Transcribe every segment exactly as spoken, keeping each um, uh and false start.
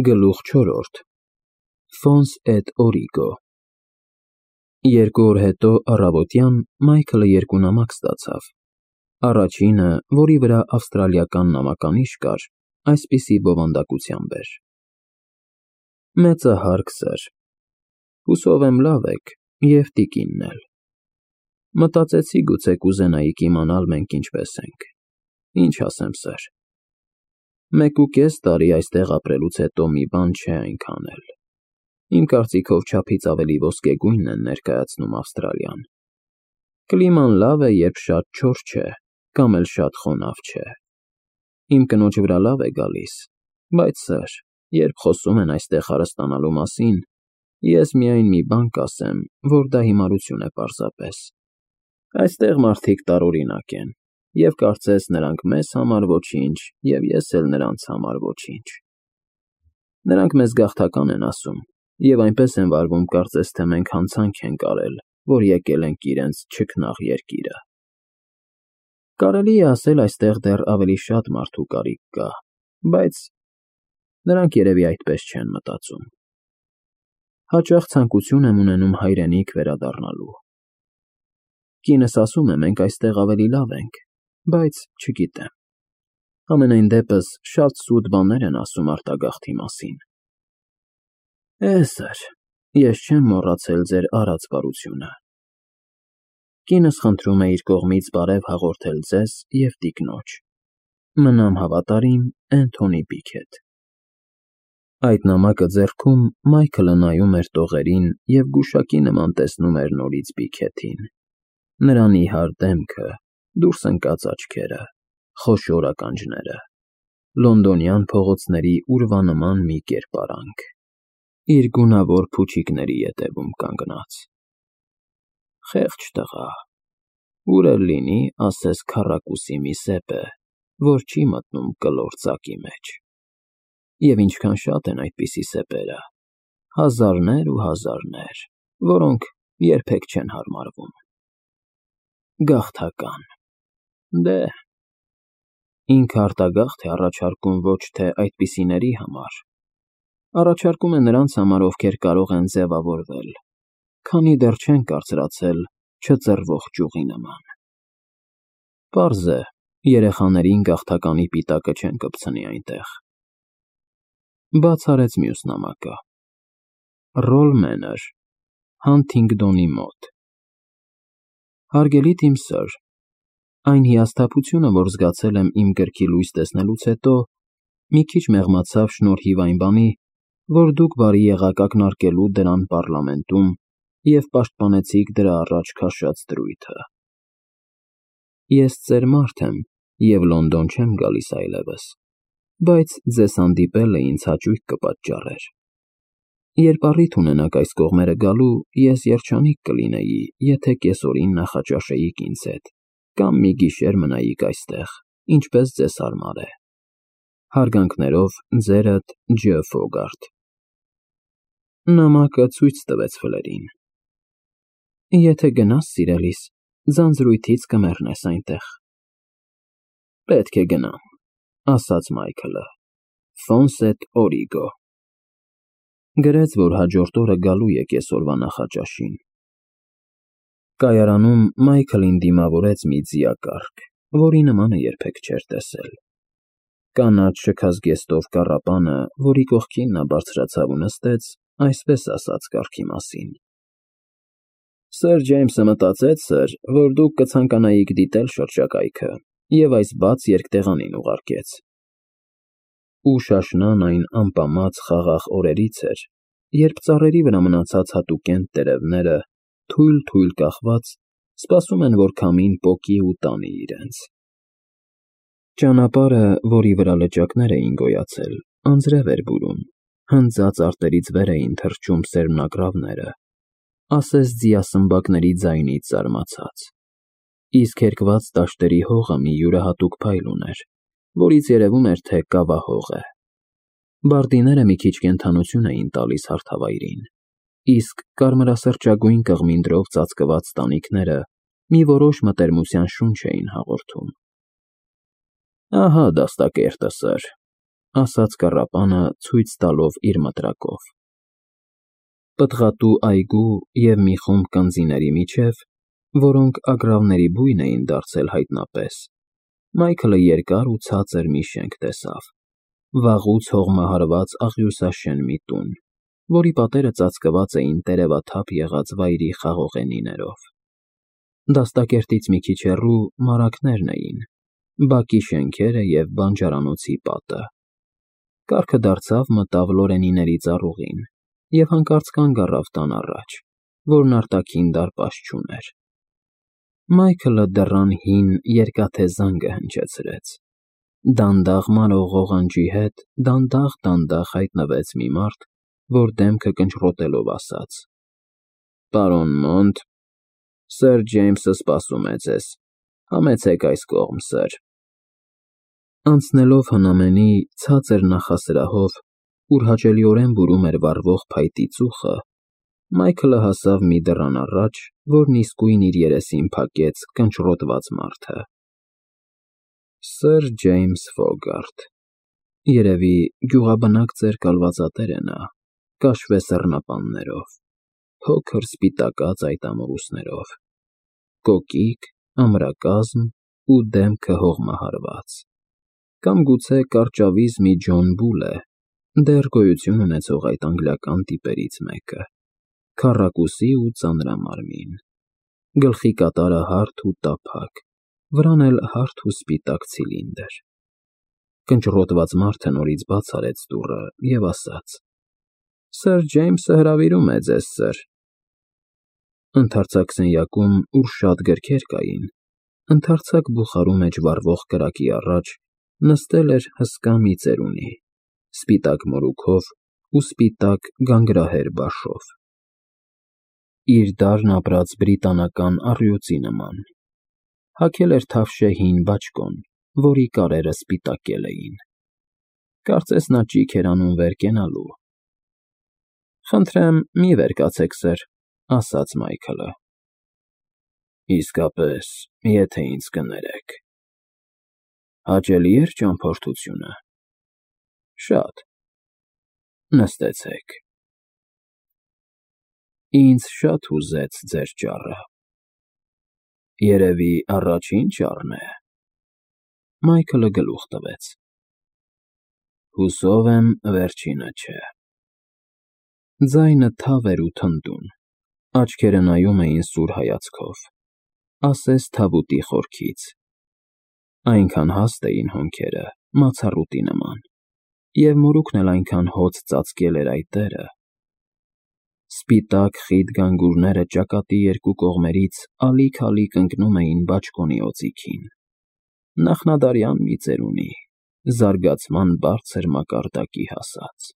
Գլուխ չորրորդ Ֆոնս էտ օրիգո Երկու օր հետո առավոտյան Մայքլը երկու նամակ ստացավ, առաջինը, որի վրա ավստրալիական նամականիշ կար, այսպիսի բովանդակությամբ էր. Մեծահարկ սըր, հուսով եմ լավ եք և տիկինն էլ, մտածեցի գուցե կուզենայիք իմանալ մենք ինչպես ենք, ինչ ասեմ սըր, մեկ ու կես տարի այստեղ ապրելուց հետո մի բան չէ այնքան էլ, իմ կարծիքով չափից ավելի ոսկեգույնն են ներկայացնում Ավստրալիան, կլիման լավ է, երբ շատ չոր չէ, կամ էլ շատ խոնավ չէ, իմ կնոջ վրա լավ է գալիս, բայց սըր, երբ խոսում են այստեղ հարստանալու մասին, ես միայն մի բան կասեմ, որ դա հիմարություն է պարզապես, այստեղ մարդիկ տարօրինակ են, և կարծես նրանք մեզ համար ոչինչ, և ես էլ նրանց համար ոչինչ, նրանք մեզ գաղթական են ասում, և այնպես են վարվում, կարծես թե մենք հանցանք ենք արել, որ եկել ենք իրենց չքնաղ երկիրը, կարելի է ասել այստեղ դեռ ավելի շատ մարդու կարիք կա, բայց նրանք երևի այդպես չեն մտածում, հաճախ ցանկություն եմ ունենում հայրենիք վերադառնալու, կինս ասում է մենք այստեղ ավելի լավ ենք, բայց չգիտեմ, համենայն դեպս շատ սուտ բաներ են ասում արտագաղթի մասին, է սըր, ես չեմ մոռացել ձեր արած բարությունը, կինս խնդրում է իր կողմից բարև հաղորդել ձեզ և տիկնոջ, մնամ հավատարիմ Էնթոնի Բիքեթ, այդ նամակը ձեռքում Մայքլը նայում էր տողերին և գուշակի նման տեսնում էր նորից Բիքեթին, նրա նիհար դեմքը, դուրս ընկած աչքերը, խոշոր ականջները, լոնդոնյան փողոցների ուրվանման մի կերպարանք, իր գունավոր փուչիկների ետևում կանգնած, խեղճ տղա, ուր էլ լինի, ասես քառակուսի մի սեպ է, որ չի մտնում կլոր ծակի մեջ, և ինչքան շատ են այդպիսի սեպերը, հազարներ ու հազարներ, որոնք երբեք չեն հարմարվում, գաղթական, դե, ինքը արտագաղթ է առաջարկում ոչ թե այդպիսիների համար, առաջարկում է նրանց համար, ովքեր կարող են ձևավորվել, քանի դեռ չեն կարծրացել չծռվող ճյուղի նման, պարզ է, երեխաներին գաղթականի պիտակը չեն կպցնի այնտեղ, բաց արեց մյուս նամակը, Ռոլ Մենոր, Հանթինգդոնի մոտ, Հարգելի թիմ սըր, այն հիասթափությունը, որ զգացել եմ իմ գրքի լույս տեսնելուց հետո, մի քիչ մեղմացավ շնորհիվ այն բանի, որ դուք բարի եղաք ակնարկելու դրան պառլամենտում և պաշտպանեցիք դրա առաջ քաշած դրույթը, ես ծեր մարդ եմ և Լոնդոն չեմ գալիս այլևս, բայց ձեզ հանդիպելը ինձ հաճույք կպատճառեր, երբ առիթ ունենաք այս կողմերը գալու, ես երջանիկ կլինեի, եթե կեսօրին նախաճաշեիք ինձ հետ, կամ մի գիշեր մնայիք այստեղ, ինչպես ձեզ հարմար է, հարգանքներով ձերդ Ջ. Ֆոգարտ, նամակը ցույց տվեց Ֆլերին, եթե գնաս սիրելիս, ձանձրույթից կմեռնես այնտեղ, պետք է գնամ, ասաց Մայքլը, Ֆոնս էտ օրիգո, գրեց, որ հաջորդ օրը գալու է կեսօրվա նախաճաշին, կայարանում Մայքլին դիմավորեց մի ձիակառք, որի նմանը երբեք չէր տեսել, կանաչ շքազգեստով կառապանը, որի կողքին նա բարձրացավ ու նստեց, այսպես ասաց կառքի մասին, Սըր Ջեյմսը մտածեց, սըր, որ դուք կցանկանայիք դիտել շրջակայքը և այս բաց երկտեղանին ուղարկեց, ու շաշնան այն ամպամած խաղաղ օրերից էր, երբ ծառերի վրա մնացած հատուկենտ տերևները, թույլ-թույլ կախված, սպասում են, որ քամին պոկի ու տանի իրենց, ճանապարհը, որի վրա լճակներ էին գոյացել, անձրև էր բուրում, հնձած արտերից վեր էին թռչում սերմնագռավները, ասես ձիասմբակների ձայնից զարմացած, իսկ հերկված դաշտերի հողը մի յուրահատուկ փայլ ուներ, որից երևում էր, թե կավահող է, բարդիները մի քիչ կենդանություն էին տալիս հարթավայրին, իսկ կարմրասրճագույն կղմինդրով ծածկված տանիքները մի որոշ մտերմության շունչ էին հաղորդում, ահա դաստակերտը, սըր, ասաց կռապանը ցույց տալով իր մտրակով։ Պտղատու այգու և մի խումբ կնձիների միջև, որոնք ագռավների բույն էին դարձել հայտնապես, Մայքլը երկար ու ցածր մի շենք տեսավ, վաղուց հողմահարված աղյուսաշեն մի տուն, որի պատերը ծածկված էին տերևաթափ եղած վայրի խաղողենիներով։ Դաստակերտից մի քիչ հեռու մարագներն էին, բակի շենքերը և բանջարանոցի պատը։ Կառքը դարձավ մտավ Լորենիների ծառուղին և հանկարծ կանգ առավ տան առաջ, որն արտաքին դարպաս չուներ։ Մայքլը դռան հին երկաթե զանգը հնչեցրեց։ Դանդաղ մարող ղողանջի հետ դանդաղ֊դանդաղ հայտնվեց մի մարդ, որ դեմքը կնճռոտելով ասաց. «Պարոն Մոնտ, սըր Ջեյմսը սպասում է ձեզ, համեցեք այս կողմ, սըր»։ Անցնելով հնամենի ցածր նախասրահով, ուր հաճելիորեն բուրում էր վառվող փայտի ծուխը, Մայքլը հասավ մի դռան առաջ, որն իսկույն իր երեսին փակեց կնճռոտված մարդը։ Սըր Ջեյմս Ֆոգարտ, երևի գյուղաբնակ ծեր կալվածատեր է նա, կաշվե սառնապաններով, փոքր սպիտակած այդ ամորուսներով, կոկիկ, ամրակազմ ու դեմքը հողմահարված, կամ գուցե կարճավիզ մի Ջոն Բուլ է, դեռ գոյություն ունեցող այդ անգլիական տիպերից մեկը, քառակուսի ու ծանրամարմին, գլխի կատարը հարթ ու տափակ, վրան էլ հարթ ու սպիտակ ցիլինդր։ Կնճռոտված մարդը նորից բաց արեց դուռը և ասաց. «Սըր Ջեյմսը հրավիրում է ձեզ, սըր»։ Ընդարձակ սենյակում, ուր շատ գրքեր կային, ընդարձակ բուխարու մեջ վառվող կրակի առաջ նստել էր հսկա մի ծերունի, սպիտակ մորուքով ու սպիտակ գանգրահեր բաշով, իր դարն ապրած բրիտանական առյուծի նման, հագել էր թավշե հին բաճկոն, որի կարերը սպիտակել էին։ Կարծես նա ճիգ էր անում վեր կենալու։ «Խնդրեմ, մի վեր կացեք, սըր», ասաց Մայքլը։ «Իսկապես, եթե ինձ կներեք։ Հաճելի էր ճամփորդությունը»։ «Շատ։ Նստեցեք»։ «Ինձ շատ հուզեց ձեր ճառը»։ «Երևի առաջին ճառն է»։ Մայքլը գլուխ տվեց։ «Հուսով եմ, վերջինը չէ»։ Ձայնը թավ էր ու թնդուն, աչքերը նայում էին սուր հայացքով, ասես թավուտի խորքից։ Այնքան հաստ էին հոնքերը, մացառուտի նման, և մորուքն էլ այնքան հոծ ծածկել էր այդ դերը։ Սպիտակ խիտ գանգուրները ճակատի երկու կողմերից ալիք֊ալիք ընկնում էին բաճկոնի օձիքին։ Նախնադարյան մի ծերունի, զարգացման բարձր մակարդակի հասած։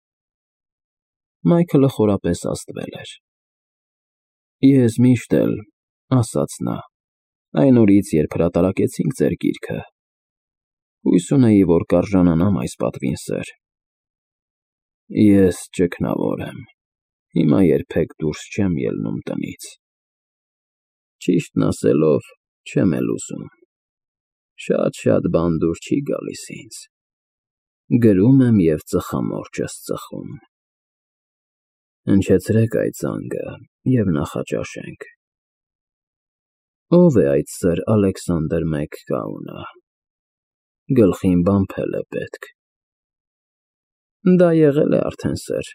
Մայքլը խորապես ազդվել էր։ «Ես միշտ էլ», ասաց նա, «այն օրից, երբ հրատարակեցինք ձեր գիրքը, հույս ունեի, որ կարժանանամ այս պատվին, սըր։ Ես ճգնավոր եմ, հիմա երբեք դուրս չեմ ելնում տնից։ Ճիշտն ասելով, չեմ էլ ուզում, շատ֊շատ բան դուր չի գալիս ինձ։ Գրում եմ և ծխամորճս ծխում։ Հնչեցրեք այդ զանգը և նախաճաշենք։ Ո՞վ է այդ սըր Ալեքսանդր Մեքքաունը։ Գլխին բամփել է պետք»։ «Դա եղել է արդեն, սըր»,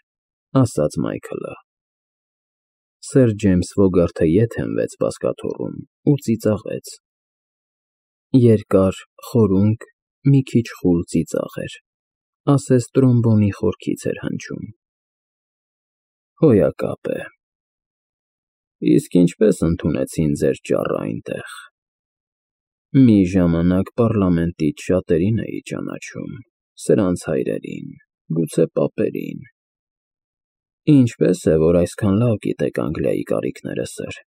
ասաց Մայքլը։ Սըր Ջեյմս Ֆոգարթը ետ հենվեց բազկաթոռում ու ծիծաղեց։ Երկար, խորունկ, մի քիչ խուլ ծիծաղ էր, ասես տրոմբոնի խորքից էր հնչում։ «Հոյակապ է։ Իսկ ինչպե՞ս ընդունեցին ձեր ճառը այնտեղ։ Մի ժամանակ պառլամենտից շատերին էի ճանաչում, սրանց հայրերին, գուցե պապերին։ Ինչպե՞ս է, որ այսքան լավ գիտեք Անգլիայի կարիքները, սըր»,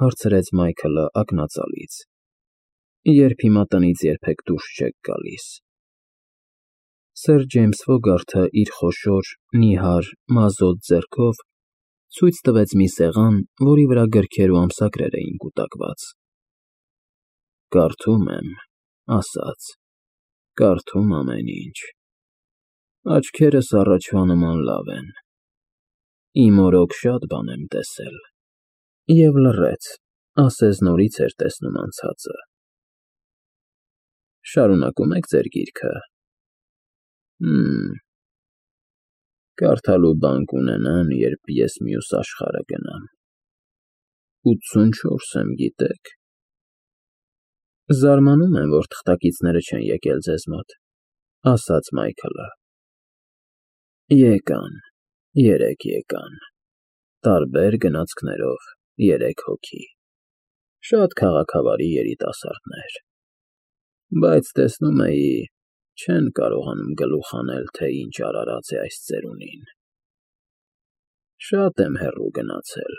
հարցրեց Մայքլը ակնածալից, «երբ հիմա տնից երբեք դուրս չեք գալիս»։ Սըր Ջեյմս Ֆոգարթը իր խոշոր, նիհար, մազոտ ձեռքով ցույց տվեց մի սեղան, որի վրա գրքեր ու ամսագրեր էին կուտակված։ «Կարդում եմ», ասաց, «կարդում ամեն ինչ։ Աչքերս առաջվա նման լավ են։ Իմ օրոք շատ բան եմ տեսել։ Եվ լռեց, ասես նորից էր տեսնում անցածը։ Շարունակում եք ձեր գիրքը։ Հըմ… Կարդալու բան կունենամ, երբ ես մյուս աշխարհը գնամ։ ութսունչորս եմ, գիտե՞ք։ Զարմանում եմ, որ թղթակիցները չեն եկել ձեզ մոտ, ասաց Մայքլը։ Եկան, երեք եկան, տարբեր գնացքներով երեք հոգի, շատ քաղաքավարի երիտասարդներ, բայց տեսնում էի, չեն կարողանում գլուխ անել, թե ինչ արարած է այս ծերունին։ Շատ եմ հեռու գնացել,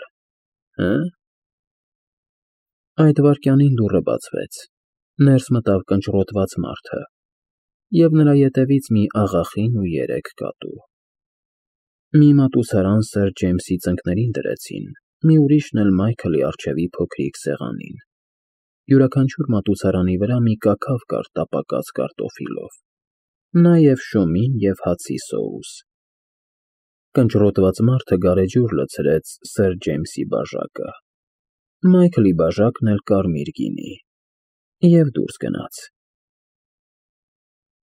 հը՞։ Այդ վայրկյանին դուռը բացվեց, ներս մտավ կնճռոտված մարդը, և նրա ետևից մի աղախին ու երեք կատու։ Մի մատուցարան Սըր Ջեյմսի ծնկներին դրեցին, մի ուրիշն էլ Մայքլի առջևի փոքրիկ սեղանին, յուրաքանչյուր մատուցարանի վրա մի կաքավ կար տապակած կարտոֆիլով, նաև շոմին և հացի սոուս։ Կնճռոտված մարդը գարեջուր լցրեց Սըր Ջեյմսի բաժակը, Մայքլի բաժակն էլ կարմիր գինի, և դուրս գնաց։